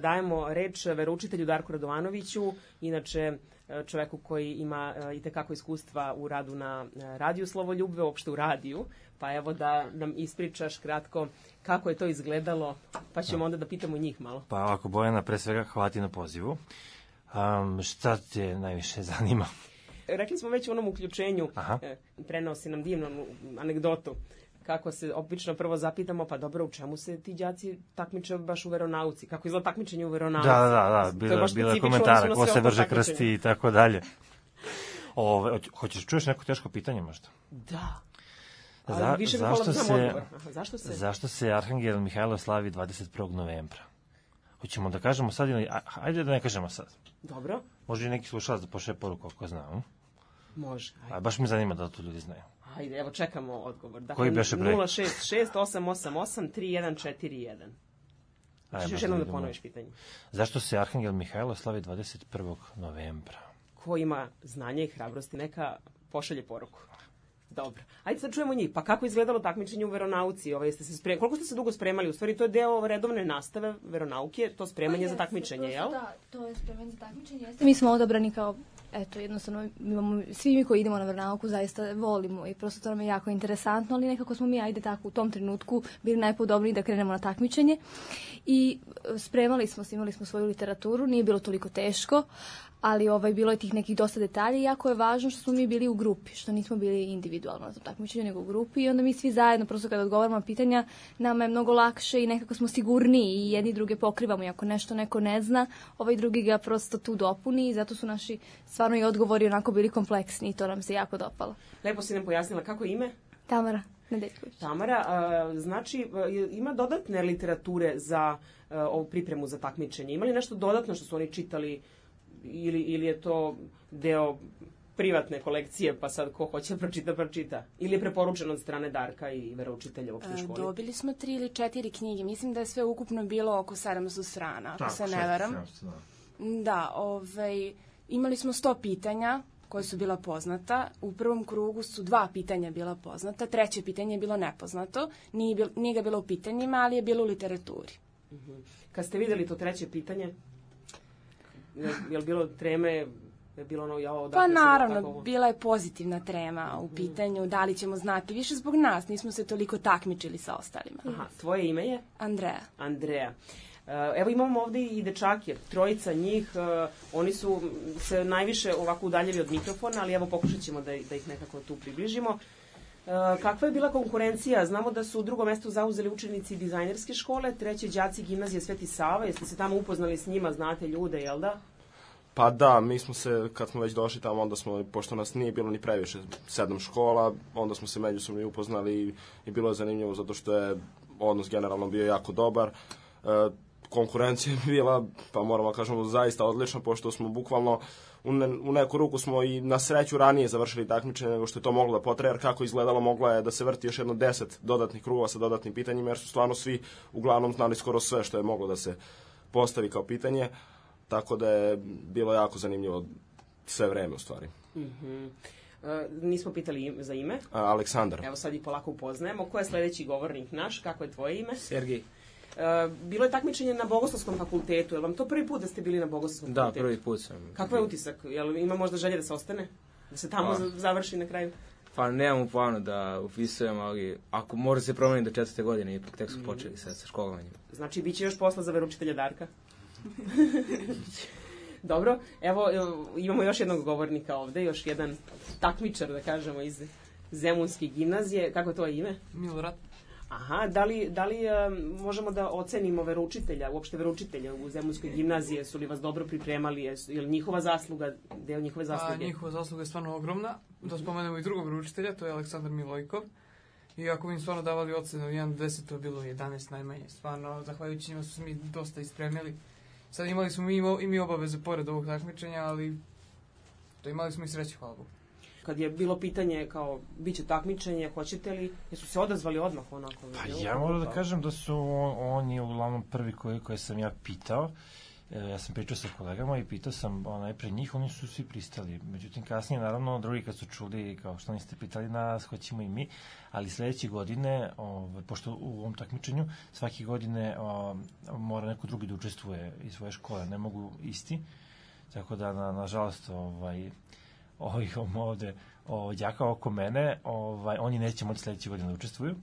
Dajemo reč veroučitelju Darku Radovanoviću, inače čoveku koji ima itekako iskustva u radu na radiju Slovoljubve, uopšte u radiju, pa evo da nam ispričaš kratko kako je to izgledalo, pa ćemo onda da pitamo njih malo. Pa ovako, Bojana, pre svega hvala ti na pozivu. Šta te najviše zanima? Rekli smo već u onom uključenju, preneo si nam divnu anegdotu, kako se obično prvo zapitamo, pa dobro, u čemu se ti đaci takmiče baš u veronauci? Kako izgleda takmičenje u veronauci? Da, bilo je komentara, ko se vrže krsti i tako dalje. Hoćeš čuješ neko teško pitanje možda? Da. Zašto se Arhangel Mihajlo slavi 21. novembra? Hoćemo da kažemo sad ili... Ajde da ne kažemo sad. Dobro. Može i neki slušalac da pošle poruku ako zna. Može. Baš mi zanima da to ljudi znaju. Ajde, evo čekamo odgovor. Dakle, koji beše broj? 066-888-3141. Češ još jednom da ponoviš pitanje. Zašto se Arhangel Mihajlo slavi 21. novembra? Ko ima znanje i hrabrosti, neka pošalje poruku. Dobro. Ajde sad čujemo njih. Pa kako izgledalo takmičenje u veronauci? Koliko ste se dugo spremali? U stvari to je deo redovne nastave veronauke, to spremanje za takmičenje, jel? Da, to je spremanje za takmičenje. Mi smo odabrani kao, jednostavno, svi mi koji idemo na veronauku zaista volimo i prosto to nam je jako interesantno, ali nekako smo mi, tako, u tom trenutku bili najpodobniji da krenemo na takmičenje. I spremali smo se, imali smo svoju literaturu, nije bilo toliko teško, ali bilo je tih nekih dosta detalja i jako je važno što smo mi bili u grupi, što nismo bili individualno na takmičenju, nego u grupi i onda mi svi zajedno, prosto kada odgovaramo na pitanja, nama je mnogo lakše i nekako smo sigurniji i jedni druge pokrivamo i ako nešto neko ne zna, drugi ga prosto tu dopuni i zato su naši stvarno i odgovori onako bili kompleksni i to nam se jako dopalo. Lepo si nam pojasnila kako je ime? Tamara Nedeljković. Tamara, znači ima dodatne literature za ovu pripremu za takmičenje? Ima li nešto dodatno što su oni čitali ili je to deo privatne kolekcije, pa sad ko hoće pročita? Ili je preporučeno od strane Darka i veroučitelja u opštoj školi? Dobili smo 3 ili 4 knjige. Mislim da je sve ukupno bilo oko 700 strana, ako se ne varam. Da, imali smo 100 pitanja koja su bila poznata. U prvom krugu su 2 pitanja bila poznata, 3. pitanje je bilo nepoznato. Nije ga bilo u pitanjima, ali je bilo u literaturi. Kad ste videli to 3. pitanje, je li bilo treme? Pa naravno, bila je pozitivna trema u pitanju, da li ćemo znati više zbog nas, nismo se toliko takmičili sa ostalima. Aha, tvoje ime je? Andreja. Evo imamo ovdje i dečake, 3 njih, oni su se najviše ovako udaljili od mikrofona, ali evo pokušat ćemo da ih nekako tu približimo. Kakva je bila konkurencija? Znamo da su u drugom mestu zauzeli učenici dizajnerske škole, 3. đaci gimnazije Sveti Sava, jeste se tamo upoznali s njima, znate ljude, jel da? Pa da, mi smo se, kad smo već došli tamo, onda smo, pošto nas nije bilo ni previše 7 škola, onda smo se međusobno i upoznali i bilo je zanimljivo zato što je odnos generalno bio jako dobar. Konkurencija je bila, pa moramo kažemo, zaista odlična, pošto smo bukvalno u neku ruku smo i na sreću ranije završili takmičenje nego što je to moglo da potraje, jer kako izgledalo moglo je da se vrti još jedno 10 dodatnih krugova sa dodatnim pitanjima, jer su stvarno svi uglavnom znali skoro sve što je moglo da se postavi kao pitanje, tako da je bilo jako zanimljivo sve vreme u stvari. Nismo pitali za ime. Aleksandar. Evo sad i polako upoznajemo. Ko je sledeći govornik naš? Kako je tvoje ime? Sergij. Bilo je takmičenje na Bogoslovskom fakultetu. Je li vam to prvi put da ste bili na Bogoslovskom fakultetu? Da, prvi put sam. Kakav je utisak? Jel ima možda želje da se ostane? Da se tamo završi na kraju? Pa nemamo planu da upisujem, ali ako može se promeniti do 4. godine, ipak tek su počeli sad sa školovanjem. Znači, bit će još posla za veroučitelja Darka? Dobro, evo imamo još jednog govornika ovde, još jedan takmičar, da kažemo, iz Zemunske gimnazije. Kako je to ime? Milorad. Aha, da li možemo da ocenimo veroučitelja, uopšte veroučitelja u Zemunskoj gimnaziji, su li vas dobro pripremali, je li njihova zasluga, deo njihove zasluge? Njihova zasluga je stvarno ogromna, da spomenemo i drugog veroučitelja, to je Aleksandar Milojkov, i ako bi im stvarno davali ocenu 1 do 10, to je bilo 11 najmanje, stvarno, zahvaljujući njima su mi dosta ispremili. Sad imali smo i mi obaveze pored ovog takmičenja, ali to imali smo i sreće, hvala Bogu. Kad je bilo pitanje kao, bit će takmičenje, hoćete li, jesu se odazvali odmah onako? Pa ja moram da kažem da su oni uglavnom prvi koje sam ja pitao ja sam pričao sa kolegama i pitao sam pre njih, oni su svi pristali. Međutim, kasnije, naravno, drugi kad su čuli, kao što niste pitali nas, hoćemo i mi, ali sledeće godine, pošto u ovom takmičenju, svake godine mora neko drugi da učestvuje iz svoje škole, ne mogu isti, tako da, nažalost, ovih ovde đaka oko mene, oni neće moći sledeće godine da učestvuju,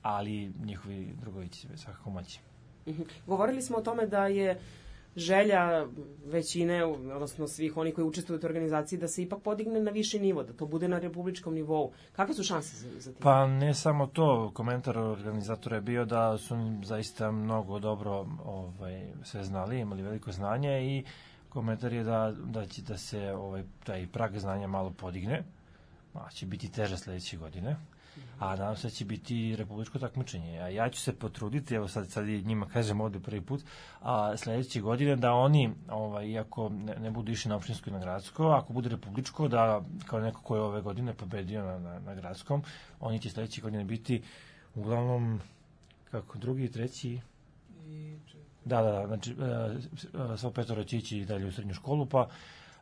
ali njihovi drugovi će svakako moći. Govorili smo o tome da je želja većine, odnosno svih oni koji učestvuju u toj organizaciji, da se ipak podigne na viši nivo, da to bude na republičkom nivou. Kakve su šanse za tim? Pa ne samo to, komentar organizatora je bio da su zaista mnogo dobro sve znali, imali veliko znanje i komentar je da će da se taj prag znanja malo podigne, će biti teže sledeće godine, a nadam se da će biti republičko takmičenje. A ja ću se potruditi, evo sad i njima kažem ovde prvi put, a sledeće godine da oni, iako ne budu išli na opštinsko i na gradsko, ako bude republičko, da kao neko ko je ove godine pobedio na gradskom, oni će sledeće godine biti uglavnom drugi i treći. Da, znači svo petoro će ići dalje u srednju školu, pa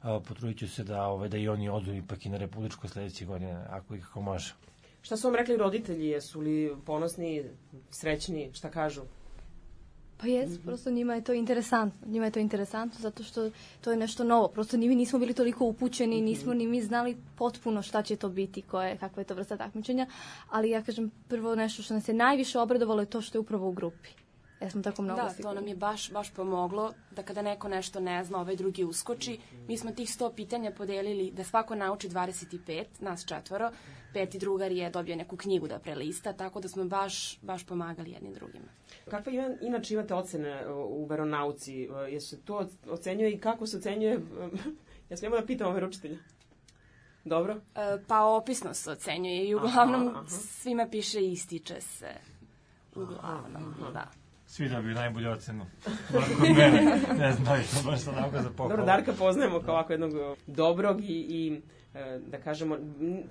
potrudit ću se da i oni odu ipak i na republičko sledeće godine, ako i kako može. Šta su vam rekli roditelji? Jesu li ponosni, srećni, šta kažu? Pa jes, prosto njima je to interesantno. Njima je to interesantno zato što to je nešto novo. Prosto mi nismo bili toliko upućeni, nismo ni mi znali potpuno šta će to biti, kakva je to vrsta takmičenja, ali ja kažem prvo nešto što nas je najviše obradovalo je to što je upravo u grupi. Ja smo tako mnogo to nam je baš pomoglo da kada neko nešto ne zna, ovaj drugi uskoči. Mi smo tih 100 pitanja podelili da svako nauči 25, nas 4, 5. drugar je dobio neku knjigu da prelista, tako da smo baš pomagali jednim drugima. Kakve inače imate ocene u veronauci? Jesu to ocenjuje i kako se ocenjuje? Ja smijemo da pitamo veroučitelja. Dobro? Pa opisno se ocenjuje i uglavnom svima piše ističe se. Uglavnom, da. Svi dobiju najbolju ocenu. Kod mene, ne znam da li to baš sad nauka za pohvalu. Dobro, Darka poznajemo kao ovako jednog dobrog i da kažemo,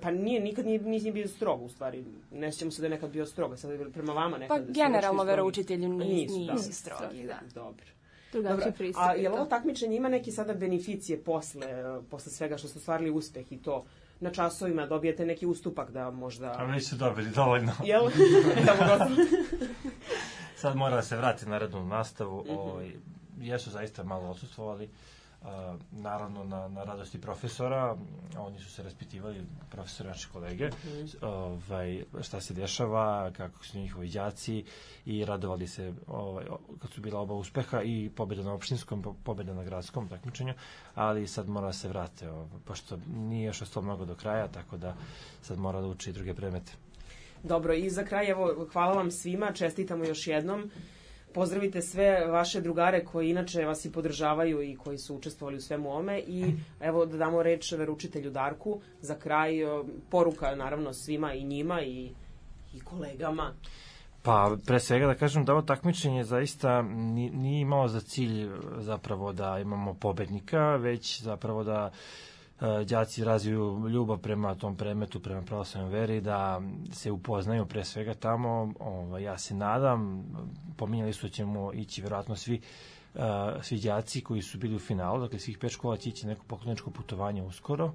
pa nikad nije bio strog u stvari. Ne sjećamo se da je nekad bio strog, sad je prema vama nekad. Pa generalno veroučitelji nisu strogi, da. Dobro. A je li ovo takmičenje ima neke sada beneficije posle svega što ste ostvarili uspeh i to? Na časovima dobijete neki ustupak da možda... A već su dobili dovoljno. Jel? Sad mora da se vrati na rednu nastavu. Jesu zaista malo odsustvovali. Naravno, na radosti profesora. Oni su se raspitivali, profesori, naši kolege, šta se dešava, kako su njihovi đaci i radovali se kad su bila oba uspeha i pobjeda na opštinskom, pobjeda na gradskom takmičenju, ali sad mora da se vrate, pošto nije još ostalo mnogo do kraja, tako da sad mora da uči i druge predmete. Dobro, i za kraj, evo, hvala vam svima, čestitamo još jednom. Pozdravite sve vaše drugare koji inače vas i podržavaju i koji su učestvovali u svemu ome i evo da damo reč veroučitelju Darku. Za kraj poruka naravno svima i njima i kolegama. Pa pre svega da kažem da ovo takmičenje zaista nije imalo za cilj zapravo da imamo pobednika, već zapravo da đaci razviju ljubav prema tom predmetu, prema pravoslavnoj veri, da se upoznaju pre svega tamo. Ja se nadam, pominjali su da ćemo ići verovatno svi đaci koji su bili u finalu, dakle svih 5 škola će ići neko pokloničko putovanje uskoro.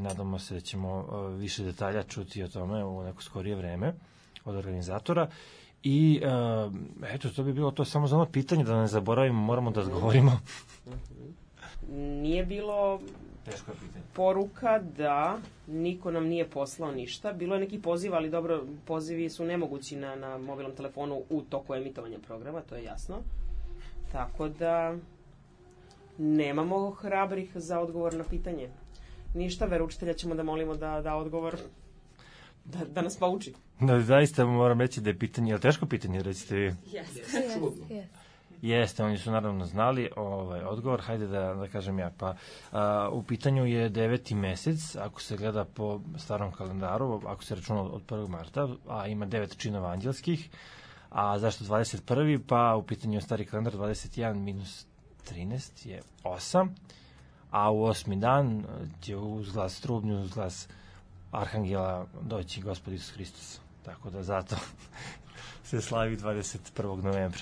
Nadamo se da ćemo više detalja čuti o tome u neko skorije vreme od organizatora. I eto, to bi bilo to samo za ono pitanje, da ne zaboravimo, moramo da odgovorimo. Nije bilo poruka da niko nam nije poslao ništa. Bilo je neki poziv, ali dobro, pozivi su nemogući na mobilnom telefonu u toku emitovanja programa, to je jasno. Tako da nemamo hrabrih za odgovor na pitanje. Ništa, veroučitelja ćemo da molimo da da odgovor, da nas pouči. Zaista moram reći da je pitanje, je li teško pitanje, recite vi? Jeste. Jeste, oni su naravno znali odgovor, hajde da kažem ja. Pa u pitanju je 9. mesec, ako se gleda po starom kalendaru, ako se računa od 1. marta, a ima 9 činova anđelskih, a zašto 21. Pa u pitanju je stari kalendar 21 minus 13 je 8, a u 8. dan će uz glas trubnju, uz glas Arhangela doći Gospod Isus Hristos. Tako da zato se slavi 21. novembra.